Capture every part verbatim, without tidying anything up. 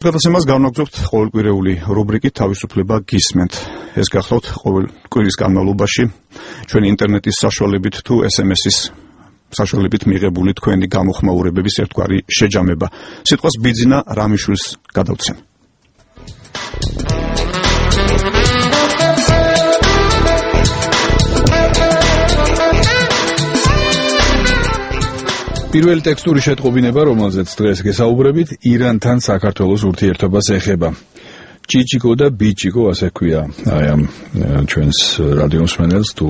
გადაცემას განვაგრძობთ ყოველკვირეული რუბრიკით თავისუფლება გისმენთ. ეს გახლავთ ყოველ კვირის განმავლობაში ჩვენი ინტერნეტის საშუალებით თუ ეს ემ ეს-ის საშუალებით მიღებული თქვენი გამოხმაურებების ერთგვარი შეჯამება. სიტყვას ბიძინა რამიშვილს გადავცემ. პირველი ტექსტური შეტყობინება, რომელზეც დღეს გესაუბრებით, ირანთან საქართველოს ურთიერთობას ეხება. ჭიჭიკო და ბიჭიკო, ასე ქვია აი ამ ჩვენს რადიო მსმენელს თუ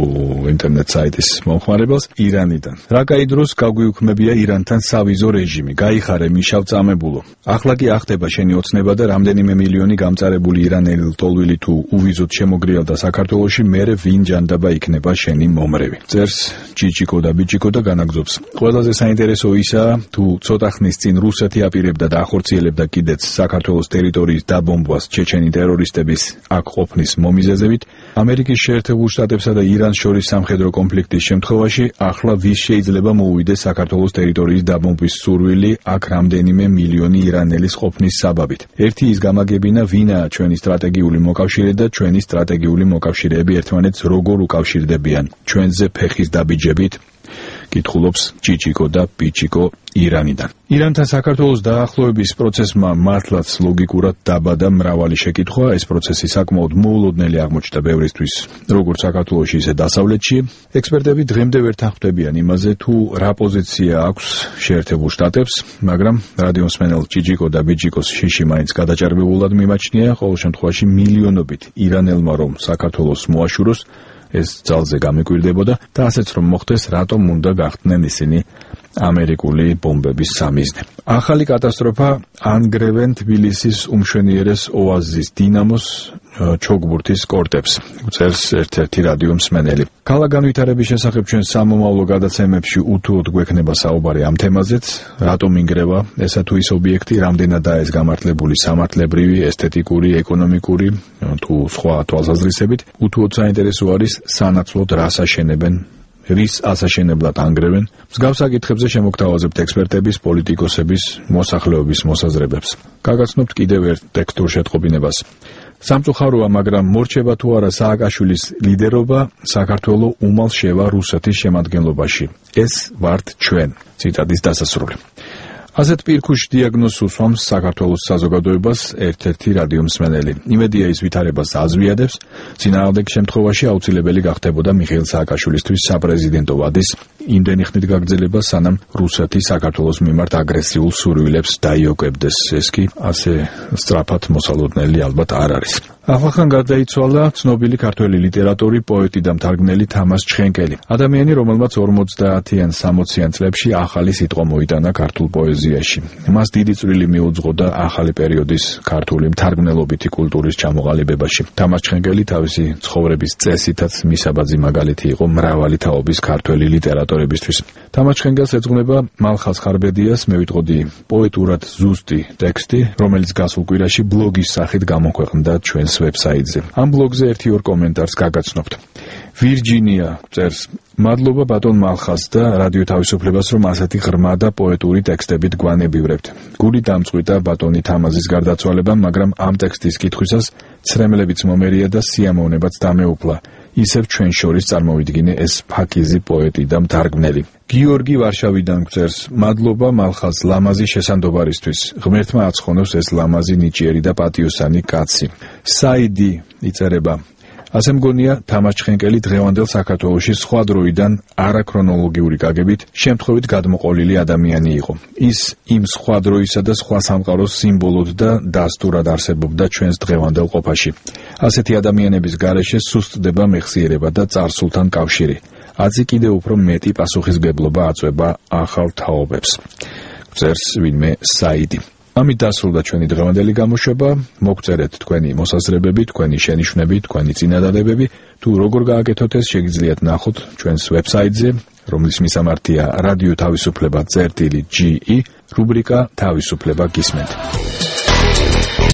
ინტერნეტ საიტის მომხმარებელს ირანიდან. რა კაი დროს გაგვიუქმებია ირანთან სავიზო რეჟიმი, გაიხარე მიშავ წამებულო. ახლა კი ახდება შენი ოცნება და რამდენიმე მილიონი გამწარებული ირანელი ლტოლვილი თუ უვიზოდ შემოგრიალდა საქართველოში, მერე ვინ ჯანდაბა იქნება შენი მომრევი. წერს ჭიჭიკო და ბიჭიკო და განაგზობს. ყველაზე საინტერესო ისაა, თუ ცოტა ხნის წინ რუსეთი აპირებდა და ახორციელებდა კიდეც საქართველოს ტერიტორიის დაბომბვას ჩეჩენი ტერორისტების აქ ყოფნის მომიზეზებით, ამერიკის შეერთებულ შტატებსა და ირანს შორის სამხედრო კონფლიქტის შემთხვევაში, ახლა ვის შეიძლება მოუვიდეს საქართველოს ტერიტორიის დაბომბვის სურვილი აქ რამდენიმე მილიონი ირანელის ყოფნის საბაბით. ერთი ის გამაგებინა, ვინაა ჩვენი სტრატეგიული მოკავშირე და ჩვენი სტრატეგიული მოკავშირეები ერთმანეთს როგორ უკავშირდებიან ჩვენზე ფეხის დაბიჯებით, კითხულობს ჭიჭიკო და ბიჭიკო ირანიდან. ირანთან საქართველოს დაახლოების პროცესმა მართლაც ლოგიკურად დაბადა მრავალი შეკითხვა. ეს პროცესი საკმაოდ მოულოდნელი აღმოჩნდა ბევრისთვის, როგორც საქართველოში, ისე დასავლეთში. ექსპერტები დღემდე ვერ თანხმდებიან იმაზე, თუ რა პოზიცია აქვს შეერთებულ შტატებს, მაგრამ რადიო მსმენელ ჭიჭიკო და ბიჭიკოს შიში მაინც გადაჭარბებულად მიმაჩნია, ყოველ შემთხვევაში მილიონობით ირანელმა რომ საქართველოს მოაშუროს, ეს ძალზე გამიკვირდებოდა და ასეც რომ მოხდეს, რატომ უნდა გახდნენ ისინი ამერიკული ბომბების სამიზნე. ახალი კატასტროფა ანგრევენ თბილისის უმშვენიერეს ოაზის დინამოს ჩოგბურთის კორტებს, წერს ერთ-ერთი რადიო მსმენელი. ქალაქ განვითარების შესახებ ჩვენ სამომავლო გადაცემებში უთუოდ გვექნება საუბარი ამ თემაზეც, რატომ ინგრევა ესა თუ ის ობიექტი, რამდენადაა ეს გამართლებული სამართლებრივი, ესთეტიკური, ეკონომიკური თუ სხვა თვალსაზრისებით. უთუოდ საინტერესო არის სანაცვლოდ რას აშენებენ, რის ასაშენებლად ანგრევენ. მსგავს საკითხებზე შემოგთავაზებთ ექსპერტების, პოლიტიკოსების, მოსახლეობის მოსაზრებებს. გაგაცნობთ კიდევ ერთ ტექსტურ შეტყობინებას. სამწუხაროა, მაგრამ მორჩება თუ არა სააკაშვილის ლიდერობა, საქართველო უმალ შევა რუსეთის შემადგენლობაში. ეს ვართ ჩვენ. ციტატის დასასრული. ასეთ პირქუშ დიაგნოზს უსვამს საქართველოს საზოგადოებას ერთ-ერთი რადიო მსმენელი. იმედია ის ვითარებას აზვიადებს, წინააღმდეგ შემთხვევაში აუცილებელი გახდებოდა მიხეილ სააკაშვილისთვის საპრეზიდენტო ვადის იმდენი ხნით გაგრძელება, სანამ რუსეთი საქართველოს მიმართ აგრესიულ სურვილებს დაიოკებდეს. ეს კი ასე სწრაფად მოსალოდნელი ალბათ არ არის. ახლახან გარდაიცვალა ცნობილი ქართველი ლიტერატორი, პოეტი და მთარგმნელი თამაზ ჩხენკელი. ადამიანი, რომელმაც ორმოცდაათიან სამოციან წლებში ახალი სიტყვა მოიტანა ქართულ პოეზიაში. მას დიდი წვლილი მიუძღო და ახალი პერიოდის ქართული მთარგმნელობითი კულტურის ჩამოყალიბებაში. თამაზ ჩხენკელი თავისი ცხოვრების წესითაც მისაბაძი მაგალითი იყო მრავალი თაობის ქართველი ლიტერატორებისთვის. თამაზ ჩხენკელს ეძღვნება მალხაზ ხარბედიას მე ვიტყოდი პოეტურად ზუსტი ტექსტი, რომელიც გასულ კვირაში ბლოგის სახით გამოქვეყნდა ჩვენს ვებსაიტზე. ამ ბლოგზე ერთი ორ კომენტარს გაგაცნობთ. ვირჯინია წერს: მადლობა ბატონ მალხაზ და რადიო თავისუფლებას, რომ ასეთი ღრმა და პოეტური ტექსტებით გვანებივრებთ. გული დამწყვიტა ბატონი თამაზის გარდაცვალებამ, მაგრამ ამ ტექსტის კითხვისას ცრემლებიც მომერია და სიამოვნებაც დამეუფლა. ისევ ჩვენ შორის წარმოვიდგინე ეს ფაქიზი პოეტი და მთარგმნელი. გიორგი ვარშავიდან წერს: მადლობა მალხაზ ლამაზი შესანდობარისთვის. ღმერთმა აცხონოს ეს ლამაზი, ნიჭიერი და პატიოსანი კაცი. საიდი იწერება: ასე მგონია, თამაზ ჩხენკელი დღევანდელ საქართველოში სხვა დროიდან არაქრონოლოგიური გაგებით შემთხვევით გადმოყოლილი ადამიანი იყო. ის იმ სხვა დროისა და სხვა სამყაროს სიმბოლოდ და დასტურად არსებობდა ჩვენს დღევანდელ ყოფაში. ასეთი ადამიანების გარეშე სუსტდება მეხსიერება და წარსულთან კავშირი. აწი კიდევ უფრო მეტი პასუხისმგებლობა აწვება ახალ თაობებს. წერს ვინმე საიდი. ამით დასრულდა ჩვენი დღევანდელი გამოშვება. მოგწერეთ თქვენი მოსაზრებები, თქვენი შენიშვნები, თქვენი წინადადებები. თუ როგორ გააკეთოთ ეს, შეგიძლიათ ნახოთ ჩვენს ვებსაიტზე, რომლის მისამართია რადიო თავისუფლება წერტილი ჯი ი, რუბრიკა თავისუფლება გისმენთ.